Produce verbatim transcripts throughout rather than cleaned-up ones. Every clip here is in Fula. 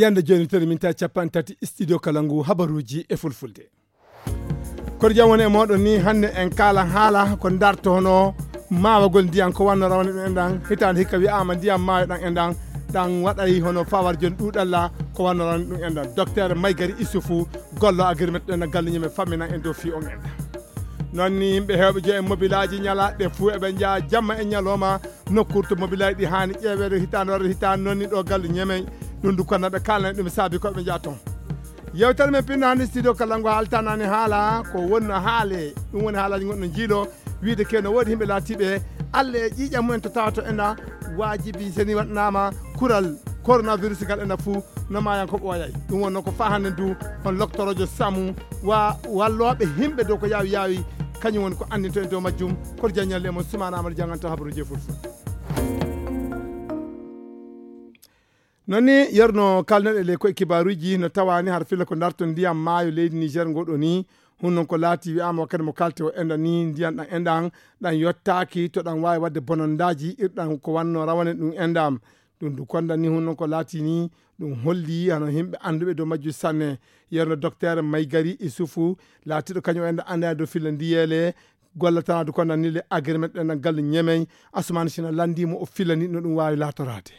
Yande jooni toni min tawi capanɗe tati studio kala ngu habaruuji e fulfulde. Koɗo jam woni e mooɗon ni, hannde en kaala haala ko darto hono maawagol ndiyam ko wanno rawane ɗum enɗan. Hitaande hikka wiyaama ndiyam maayo ɗan enɗan, ɗan waɗay hono fawar jooni ɗuuɗalla ko wanno rawane ɗum enɗan. Docteur Maygari Isufu gollo agirmet ɗen galle ñeme famminan en dow fii on enɗan. Noon ni yimɓe heewɓe joyi e mobilaaji ñalaaɗe fuu eɓe njaha jamma e ñalooma nokkuure to mobilaaji ɗi haani ƴeeweede hitaande warde hitaande noon ni ɗo galle ñeme. Ɗum du kono ɓe kaalana ɗum saabi ko ɓe njaha toon. Yewtere men pinno hannde studio kala ngo haaltanaani haala ko wonno haale. Ɗum woni haalaaji gonɗo jiilo wiide ke no woodi yimɓe laatiiɓe Alla e ƴiiƴam mumen to tawata ena waajibi seni waɗnaama kural coronavirus ngal ena fuu no maayan ko ɓooyay. Ɗum wonno ko faa hannde du on loktoroojo samu wa wallooɓe yimɓe dow ko yaawi yaawi kañum woni ko anndinto en dow majjum. Koto jaññalle e mon sumaana amata janganta habaruuji e fulfulde. Noon ni yerno kalneɗe le koye kibaaruuji no tawaani har filla ko darto ndiyam maayo leydi Niger ngoɗo ni. Hun noon ko laati wiyaama wakkati mo kalte o enɗan ni ndiyam ɗan enɗan ɗan yottaaki to ɗan waawi waɗde bonondaaji irɗan ko wanno rawane ɗum enɗam. Ɗum du kondan ni hun noon ko laati ni ɗum holli hano yimɓe annduɓe dow majjum sanne. Yerno docteur Maygari Isufu laatiɗo kañum enɗan anndaa dow filla ndiyeele gollatanaade kondan ni le agreement ɗen galle ñemey. Asumaani sina lanndii mo o fillani no ɗum waawi laatoraade.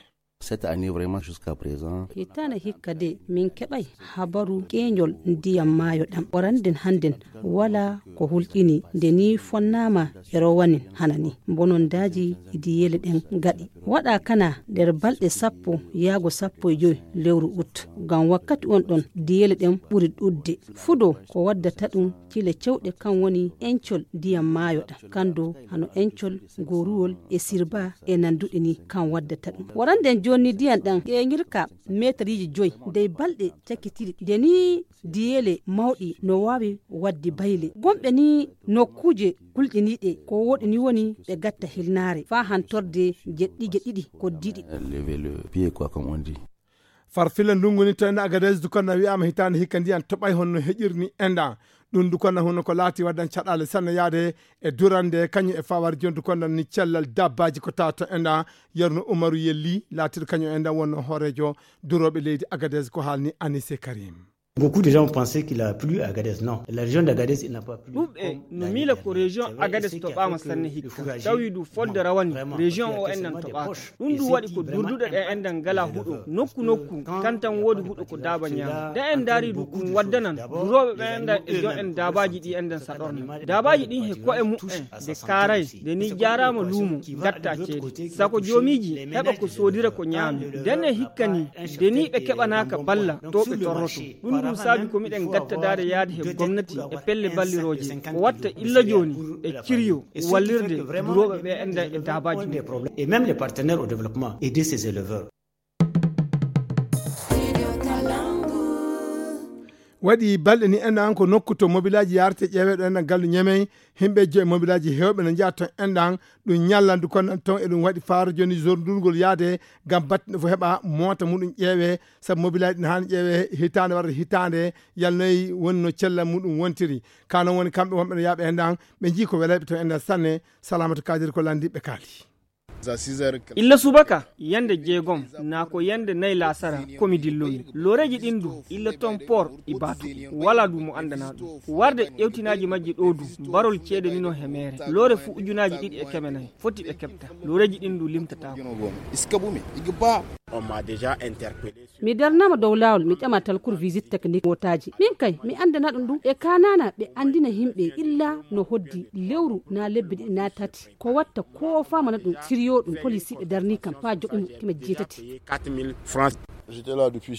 Cette année vraiment jusqu'à présent. Hitaande hikka de min keɓay habaru ƴeeñol ndiyam maayo ɗam. Waranden hannden wala ko hulƴini nde ni fonnaama e rowanin hana ni. Bonondaaji e diyeele ɗen gaɗi. Waɗa kana nder balɗe sappo yaago sappo e joy lewru ut. Ngam wakkati on ɗon diyeele ɗen ɓuri ɗuuɗde. Fudo ko waddata ɗum cile cewɗe kan woni encol ndiyam maayo ɗam. Kan do hano encol, goruwol e sirba e nanduɗe ni kan waddata ɗum. Waranden joni ndiyam ɗam ƴeeŋirka meetariji joy ndey balɗe cakkitiri. Nde ni diyeele mawɗi no waawi wadde bayle. Gomɓe ni nokkuuje kulɗiniiɗe ko woɗi ni woni ɓe gatta hilnaare faa hantorde jeɗɗi jeɗɗiɗi koddiɗi. Lever le pied quoi, comme on dit. Farfilla ndungu ni to enda Agadez dukanna wi'ama hitaande hikka ndiyan toɓay honno heƴirni enda. Ɗum dukanna hunno ko laati waddan caɗaale sanne yaade e durande kañum e fawar jon dukanna ni cellal dabbaji ko tawata enda. Yerno Umaru Yelli laatiɗo kañum enda wonno hoorejo durooɓe leydi Agadez ko haalni Anise Karim. Beaucoup de gens ont pensé qu'il a plu à Agadez. Non, la région d'Agadez, il n'a pas plu. Ɗuɓɓe no miila ko région Agadez toɓaama sanne hikka. Tawi du fodde rawani région o enɗan toɓaaka. Ɗum du waɗi ko durduɗe ɗe enɗan ngala huɗo. Nokku nokku kan tan woodi huɗo ko daaba ñaama. Nde en ndaari du ɗum waddanan durooɓe ɓe enɗan e jo en daabaaji ɗi enɗan saɗorna. Daabaaji ɗin he ko'e mu'en de kaaray de ni jaaraama luumo gatta ceede. Sako joomiiji heɓa ko soodira ko ñaami. Nden e hikka ni de ni ɓe keɓanaaka balla to ɓe torroto. Ɗum ɗum saabi ko miɗen gattadaade yaade he gomnati e pelle ballirooje ko watta illa jooni e ciryo wallirde durooɓe ɓe enɗan e daabaaji mum. Et même les partenaires au développement, aider ces éleveurs. Waɗi balɗe ni enɗan ko nokku to mobilaaji yaarte ƴeeweɗo enɗan gallu ñemey. Himɓe joyi mobilaaji heewɓe no njaha ton enɗan ɗum ñallandu kon ton e ɗum waɗi faaro joni zone ndurgol yaade ngam battinɗo fof heɓa moota muɗum ƴeewe. Sabu mobilaaji ɗin haani ƴeewe hitaande warde hitaande yalnoyi woni no cella muɗum wontiri. Ka non woni kamɓe wonɓe no yaaɓe enɗan ɓe njii ko welayɓe ton enɗan sanne. Salamatu Kadir ko lanndi ɓe kaali. Illa subaka yande jeegom naa ko yande nayi laasara ko mi dillomi. Looreeji ɗin du illa ton port i baatu wala du mo anndana ɗum. Warde ƴewtinaaji majji ɗo du barol ceede nino he meere loore fu ujunaaji ɗiɗi e keme nayi foti ɓe keɓta. Looreeji ɗin du limtataako. On m'a déjà interpellé. Mi darnama dow laawol mi ƴama talkur visite technique mootaaji min kay mi anndana ɗum ɗum ɓe kaanana ɓe anndina yimɓe illa no hoddi lewru na lebbi ɗiɗi na tati. Ko watta ko famana ɗum siriyo ɗum polisiiɓe darni kam faa joɓi mo keme jeetati.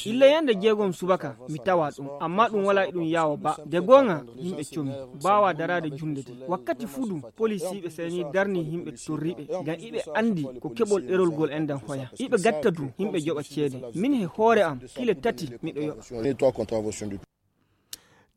Illa yande jeegom subaka mi tawa ɗum amma ɗum wala e ɗum yaawa ba de goonga. Yimɓe comi baawa daraade junnde de wakkati fuu ɗum polisiiɓe seni darni yimɓe torriiɓe ngam iɓe anndi ko keɓol ɗerol gol enɗan hoya. Iɓe gatta du yimɓe joɓa ceede min he hoore am kile tati miɗo yoɓa.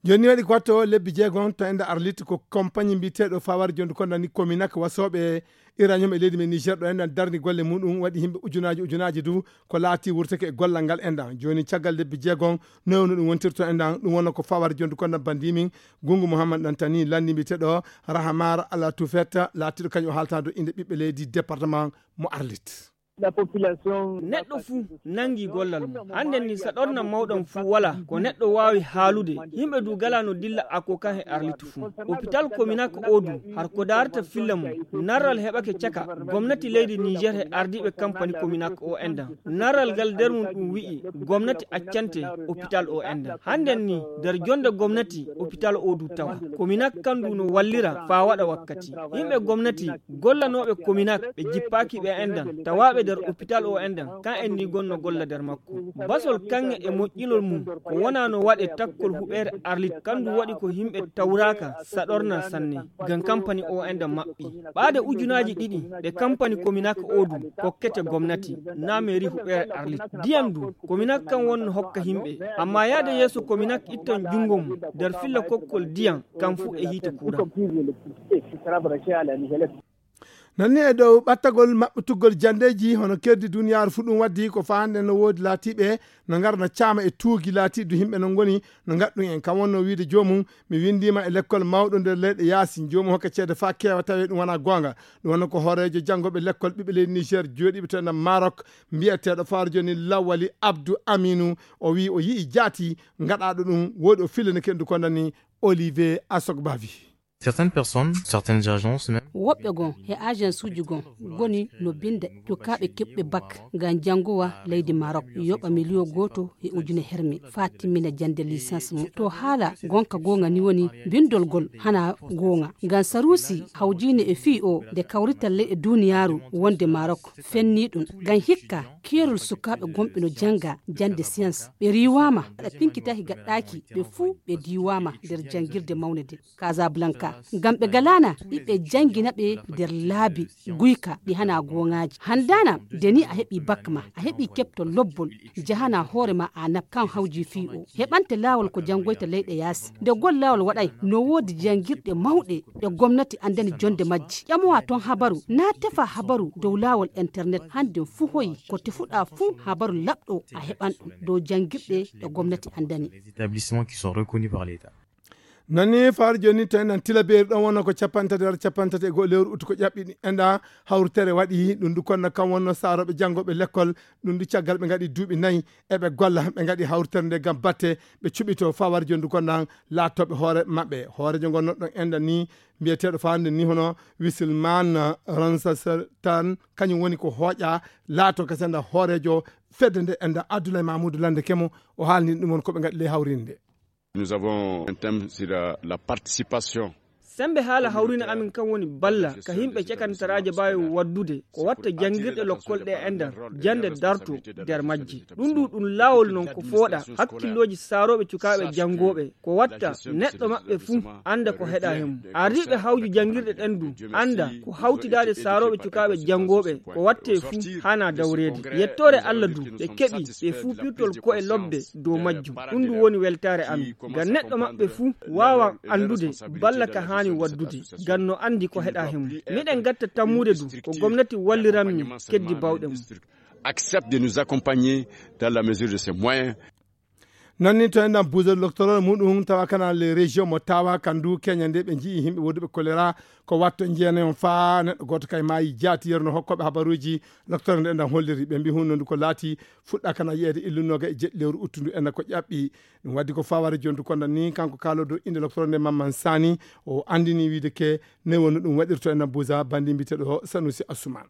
Jooni waɗi ko watto lebbi jeegom to enda Arlit ko compagnie mbiyeteeɗo fawar jondu ko nani kominak wasooɓe uranium e leydi men Niger ɗo enɗan darni golle muɗum waɗi yimɓe ujunaaji ujunaaji du ko laati wurtake e gollal ngal enɗan. Jooni caggal lebbi jeegom nowno ɗum wontirto enɗan ɗum wonno ko fawar jondu ko nabbandimin Gungu Mouhammad Dantani lanndi mbiyeteeɗo Rahamar Ala Tufet laatiɗo kañum o haalta dow innde ɓiɓɓe leydi département mo Arlit. Neɗɗo fuu nanngi gollal mum. Hannden ni saɗorna mawɗam fuu walaa ko neɗɗo waawi haalude. Yimɓe du galaa no dilla Akokan e Arlit fuu. Opital Kominak oo du, har ko daarata filla mum, narral heɓake caka gomnati leydi Niijeer e ardiiɓe kampani Kominak oo enɗan. Narral ngal nder mum ɗum wi'i gomnati accante opital oo enɗan. Hannden ni nder jonnde gomnati opital oo du tawa. Kominak kan du no wallira faa waɗa wakkati. Yimɓe gomnati gollanooɓe Kominak ɓe jippaaki ɓe enɗan, tawaaɓe nder opital oo enɗan, kan en ni gonno golla nder makko. Basol kaŋŋe e moƴƴinol mum ko wonaa no waɗe takkol huɓeere Arlit, kan du waɗi ko yimɓe tawraaka saɗorna sanne. Ngam kampani oo enɗan maɓɓi. Ɓaade ujunaaji ɗiɗi ɗe kampani Kominak oo du kokkete gomnati, naa meeri huɓeere Arlit. Diyam du, Kominak kan wonno hokka yimɓe. Ammaa yaade yeeso Kominak ittan junngo mum nder filla kokkol diyam, kan fuu e hiite kuuran. Nanni e dow ɓattagol maɓɓitugol janndeeji hono kerdi duniyaaru fuu ɗum waddi ko faande no woodi laatiiɓe no ngarna caama e tuugi laatiiɗi yimɓe no ngoni no ngaɗɗum en. Kam wonno wiide joomum mi winndiima e lekkol mawɗo nder leyɗe yaasi, joomum hokka ceede faa keewa tawee ɗum wonaa goonga. Ɗum wonno ko hooreejo janngooɓe lekkol ɓiɓɓe leydi Niger jooɗiiɓe to enɗan Maroc, mbiyeteeɗo faaro jooni Lawali Abdou Aminou. O wiyi o yi'i jaati ngaɗaaɗo ɗum, woodi o fillani kendu ko nani Olivier Asogbavi. Certaines personnes, certaines agences même. Woɓɓe gon he agence uji gon goni no binnda cukaaɓe keɓɓe bak ngam janngowa leydi Maroc, yoɓa miliyo gooto e ujune herme faa timmina jannde licence mum. To haala gonka goonga ni woni binndol gol hana goonga. Ngam Sarusi hawjiine e fii o nde kawrital leyɗe duniyaaru wonde Maroc fenni ɗum. Ngam hikka keerol sukaaɓe gonɓe no jannga jannde science ɓe riiwaama aɗa pinkitaki gaɗɗaaki ɓe fuu ɓe diiwaama nder janngirde mawnde nde. Casablanca. Ngam ɓe galaana ɓiɓɓe janngina ɓe nder laabi guyka ɗi hana gooŋaaji. Handaana nde ni a heɓi bak ma, a heɓi keɓto lobbol, jahana hoore ma a nap kan hawji fii o. Heɓante laawol ko janngoyta leyɗe yaasi. Nde gol laawol waɗay no woodi janngirɗe mawɗe ɗe gomnati anndani jonnde majji. Ƴamowa ton habaru, naa tefa habaru dow laawol internet. Hannden fuu hoyi ko tefuɗaa fuu habaru laɓɗo a heɓan ɗum dow janngirɗe ɗe gomnati anndani. Les établissements qui sont reconnus par l'État. Nani faar jooni to enɗan tilabeeri ɗon wonno ko capanɗe tati hara capanɗe tati e go'o lewru uttu ko ƴaɓɓi enɗa hawritere waɗi ɗum du konna kam wonno saarooɓe janngooɓe lekkol ɗum du caggal ɓe ngaɗi duuɓi nayi eɓe golla ɓe ngaɗi hawritere nde ngam batte ɓe cuɓito fawar jooni du konnan laatooɓe hoore maɓɓe hooreejo ngon noɗɗon enɗan ni mbiyeteeɗo faande ni hono wisilman ransastan kañum woni ko hooƴa laato kese nda hooreejo fedde nde enɗa abdoulaye mamoudou lande kemo o haalni ɗum on ko ɓe ngaɗi ley hawrinde. Nous avons un thème sur la, la participation. Sembe haala hawrina amin kan woni balla ka himɓe cakantaraaje baawi waddude ko watta janngirɗe lokkol ɗe e nder jannde darto nder majje. Ɗum ɗu ɗum laawol non ko fooɗa hakkillooji saarooɓe cukaaɓe janngooɓe ko watta neɗɗo maɓɓe fuu annda ko heɗa hemum. Ardiiɓe hawju janngirɗe ɗen du annda ko hawtidaade saarooɓe cukaaɓe janngooɓe ko watte fuu hana dawreede. Yettoore Allah du ɓe keɓi ɓe fuu pirtol ko'e lobbe dow majjum. Ɗum ɗum woni weltaare amin. Ngam neɗɗo maɓɓe fuu waawan anndude balla ka haani waddude. Ngam no anndi ko heɗa he mum. Miɗen ngatta tammude du ko gomnati walliranmi keddi bawɗe mum. Accepte de nous accompagner dans la mesure de ses moyens. Nanni to enɗan buusol loctorol muɗum tawa kana les régions mo tawa kandu kenya nde ɓe jii yimɓe woduɓe choléra ko watto jeenayon faa neɗɗo gooto kay maayi jaati yerno hokkooɓe habaruuji loctore nde enɗan holliri ɓe mbi hunnondu ko laati fuɗɗa kana yiyeede illunnoga e jeɗɗi lewru uttundu enɗan ko ƴaɓɓi. Ɗum waddi ko faware jondu kondan ni kanko kaalodo inde loctore nde mamman sani o andini wiide ke ne wonno ɗum waɗirto enɗan buusa bandi mbiteɗo sanusi asuman.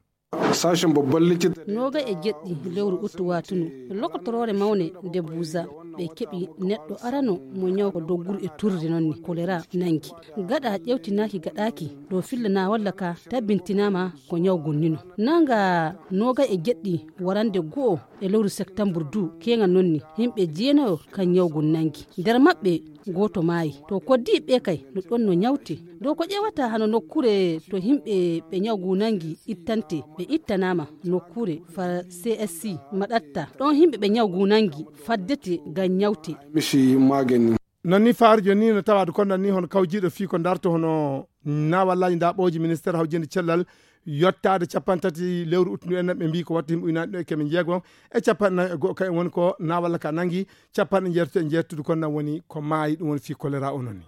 Sashen babban likita. Noga e jeɗɗi lewru uttu watunu lokotoroore mawne nde buusa ɓe keɓi neɗɗo arano mo ñaw ko dogguru e turde noon ni kolera nangi. Gaɗa ƴewtinaaki gaɗaaki ɗo fillana walla ka tabbintinama ko ñaw gonnino. Nanga noga e jeɗɗi warande go'o e lewru septembre du keŋa noon ni yimɓe jeenayo kan ñaw gun nangi. Nder maɓɓe gooto maayi. To koddiiɓe ɓe kay no ɗon no ñawti. Dow ko ƴeewata hano nokkuure to yimɓe ɓe ñaw ngu nangi ittante ɓe ittanaama nokkuure far C S C maɗatta ɗon yimɓe ɓe ñaw ngu nangi faddete ngam ñawte. Mishi magani. Noon ni faarujo ni no tawaade kondan ni hono kawjiiɗo fii ko darto hono naawallaaji ndaɓooji ministeer hawjinde cellal yottaade capanɗe tati lewru uttundu en ɓe mbii ko watta yimɓe ujunaaji ɗo e keme jeego e capanɗe nayi e go'o kayen woni ko naawalla ka nangi capanɗe jeetato e jeettudu kon nan woni ko maayi ɗum woni fii kolera o noon ni.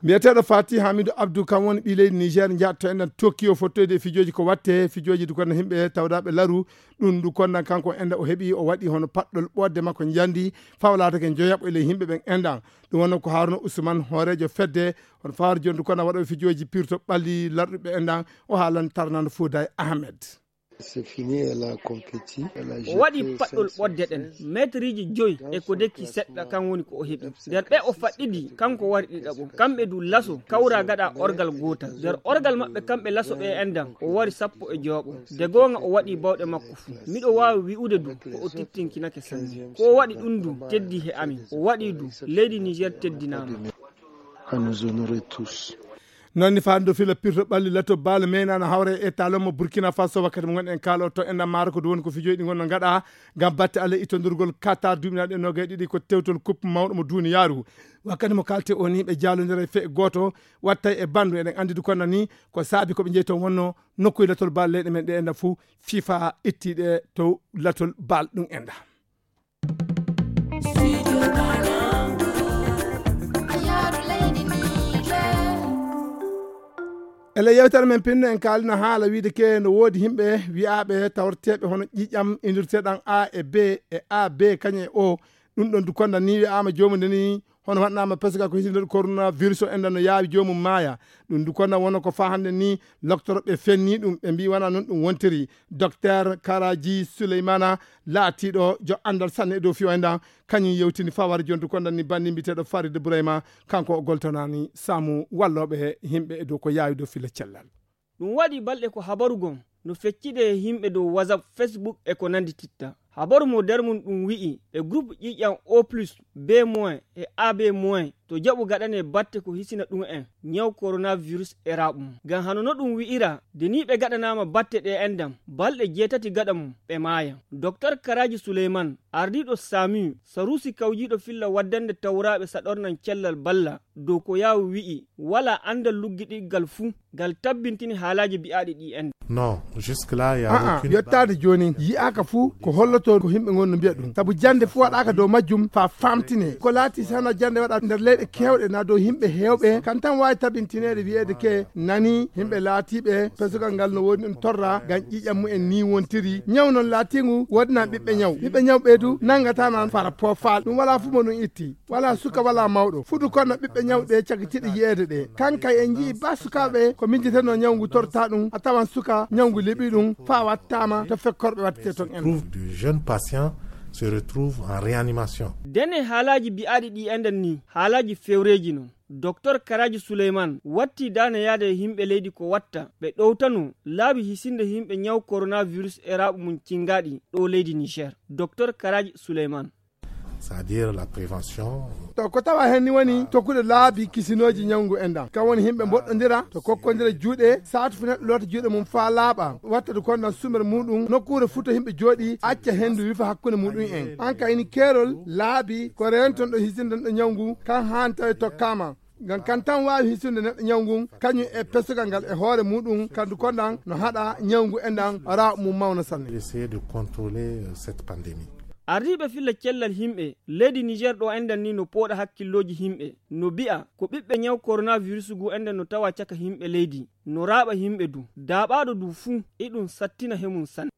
Mbiyeteeɗo Fati Hamidu Abdu, kam woni ɓii leydi Niger, njaatto enɗan Tokyo fottoyde e fijooji ko watte, fijooji du konda himɓe tawdaaɓe laru. Ɗum du konda kanko enɗan o heɓi, o waɗi hono paɗɗol ɓoodde makko njandi, fawa laatake njoyaɓo e ley himɓe ɓen enɗan. Ɗum wonno ko Haruna Usman, hooreejo fedde, hono fawaade jooni du konda waɗooɓe fijooji pirto ɓalli larɗuɓe enɗan, o haalan tarnando Fouday Ahmed. C'est fini, elle a compéti. O waɗi paɗɗol ɓodde ɗen, meetriiji joyi e ko dekki seɗɗa, kan woni ko o heɓi. Nder ɓe o faɗɗidi, kanko wari ɗiɗaɓo. Kamɓe du laso kawra gaɗa orgal gootal. Nder orgal maɓɓe kamɓe laso ɓe enɗan, o wari sappo e jowaɓo. De goonga o waɗi bawɗe makko fuu. Miɗo waawi wi'ude du ko o tittinkinake sanne. Ko o waɗi ɗum du teddi he amin. O waɗi du, leydi Niger teddinaama. À nous honorer tous. Noon ni faandu fila pirto ɓalli lato baalo meynaano hawre e talommo Burkina Faso. Wakkati mo ngonɗen kaalo to enɗan maaro ko du woni ko fijoji ɗi ngonno ngaɗa ngam batte Allah ittondurgol Qatar duuɓinaaɗe noogay ɗiɗi, ko tewtol coupe mawɗo mo duniyaaru. Wakkati mo kalte o ni ɓe jaalondira e fe'e gooto wattay e bandu. Eɗen anndi du konda ni ko saabi ko ɓe jeyi toon wonno nokkuye latol baal leyɗe men ɗe enɗan fuu FIFA ittiɗe to latol baal ɗum enɗan. Ele yewtere men pinno en kaalino haala wiide ke no woodi himɓe wi'aaɓe tawreteeɓe hono ƴiƴam indirteeɗam A e B e A B kañum e O. Ɗum ɗon du konda ni wi'aama joomum nde ni hono waɗnaama pesoga ko hisinde coronavirus o enɗan no yaawi joomum maaya. Ɗum du konda wonno ko faa hannde ni loktoroɓe fenni ɗum, ɓe mbi wona noon ɗum wontiri. Docteur Karaji Suleymana laatiiɗo jo anndal sanne e dow fiyo enɗan, kañum yewtini faware jontu kondan ni banndi mbiyeteeɗo Farid Ibrahima, kanko o goltanaani saamu wallooɓe yimɓe e dow ko yaawi dow filla cellal. Ɗum waɗi balɗe ko habaru gon no feccide e yimɓe dow WhatsApp, Facebook e ko nandi titta. Habaru mo nder mum ɗum wi'i e groupe ƴiiƴam O plus, B moins e A B moins to jaɓu gaɗane batte ko hisina ɗum en ñaw coronavirus e raaɓu mum. Ngam hano no ɗum wi'ira, de ni ɓe gaɗanaama batte ɗe enɗam, balɗe jeetati gaɗa mum ɓe maaya. Docteur Karaji Suleyman, ardiiɗo SAMU, saruusi kawjiiɗo filla waddande tawraaɓe saɗornan cellal balla, dow ko yaawu wi'i, walaa anndal luggiɗigal fuu ngal tabbintini haalaaji bi'aaɗi ɗi enɗam. Non, jusque-là, il y a A'a, aucune yottaade jooni yi'aaka fuu ko holloto ko yimɓe ngon no mbiya ɗum. Sabu jannde fuu waɗaaka dow majjum faa faamtine. Ko laati si hano jannde waɗa nder leyɗe keewɗe na dow yimɓe heewɓe, kan tan waawi tabintineede wi'eede ke nani yimɓe laatiiɓe pesugal ngal no woodi ɗum torra ngam ƴiiƴam mumen ni wontiri. Ñaw noon laatiingu woodinaa ɓiɓɓe ñaw. Ɓiɓɓe ñaw ɓeydu nanngataa noon fara poofaali. Ɗum walaa fuu mo ɗum itti. Walaa suka, walaa mawɗo. Fudu kono ɓiɓɓe ñawɗe cagitiiɗe yi'eede ɗe. Kankay en nji'i ba sukaaɓe ko miijiteno ñawngu torta ɗum, a tawan suka ñawngu liɓi ɗum, faa wattaama to fekkorɓe wattete ton en. Trouve de jeunes patients se retrouvent en réanimation. Dene haalaaji bi'aaɗi ɗi enɗan ni, haalaaji fewreeji non. Docteur Karaji Suleyman watti daane yaade e yimɓe leydi ko watta ɓe ɗowtano laabi hisinde yimɓe ñaw coronavirus e raaɓu mum cingaaɗi ɗo leydi Niger. Docteur Karaji Suleyman. C'est-à-dire la prévention. To ko tawa hen ni woni tokkude laabi kisinooji ñawngu enɗan. Kan woni yimɓe mboɗɗondira, to kokkondira juuɗe, saatu fu neɗɗo loota juuɗe mum faa laaɓa. Watta du kondan sumere muɗum, nokkuure fuu to yimɓe jooɗi, acca hendu wifa hakkunde muɗum en. An ka ini keerol laabi ko reenton ɗo hisindan ɗo ñawngu, kan haan tawi tokkaama. Ngam kan tan waawi hisinde neɗɗo ñaw ngun, kañum e pesugal ngal e hoore muɗum, kandu kondan no haɗa ñaw ngu enɗan raaɓu mum mawna sanne. Essayer de contrôler, euh, cette pandémie. Ardiiɓe filla cellal yimɓe leydi Niger ɗo enɗan ni no pooɗa hakkillooji yimɓe, no bi'a ko ɓiɓɓe ñaw coronavirus ngu enɗan no tawa caka yimɓe leydi, no raaɓa yimɓe du. Daaɓaaɗo du fuu, iɗum sattina he mum sanne.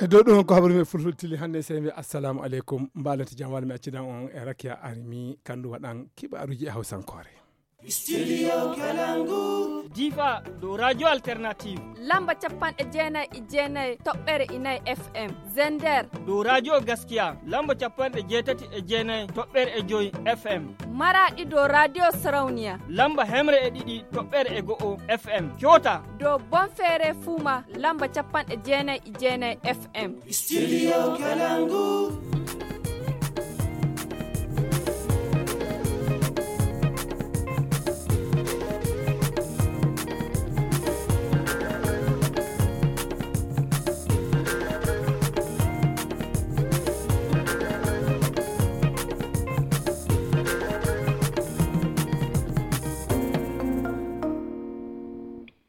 E dow ɗum ko habaru men fulfulde tili hannde, sey mbi assalamu aleykum, mbaalante jam walla mi accidan on e Rakiya Armi, kandu waɗan kibaruji e hawsankoore. Studio Kalangu. Difa dow Radio Alternative. Lamba capanɗe jeenayi e jeenayi toɓɓere inayi F M. Zender. Dow Radio Gaskiya. Lamba capanɗe jeetati e jeenayi toɓɓere e joyi F M. Maraɗi dow Radio Sarauniya. Lamba hemre e ɗiɗi toɓɓere e go'o F M. Coota. Dow Bonfere Fuma. Lamba capanɗe jeenayi e jeenayi F M. Studio Kalangu.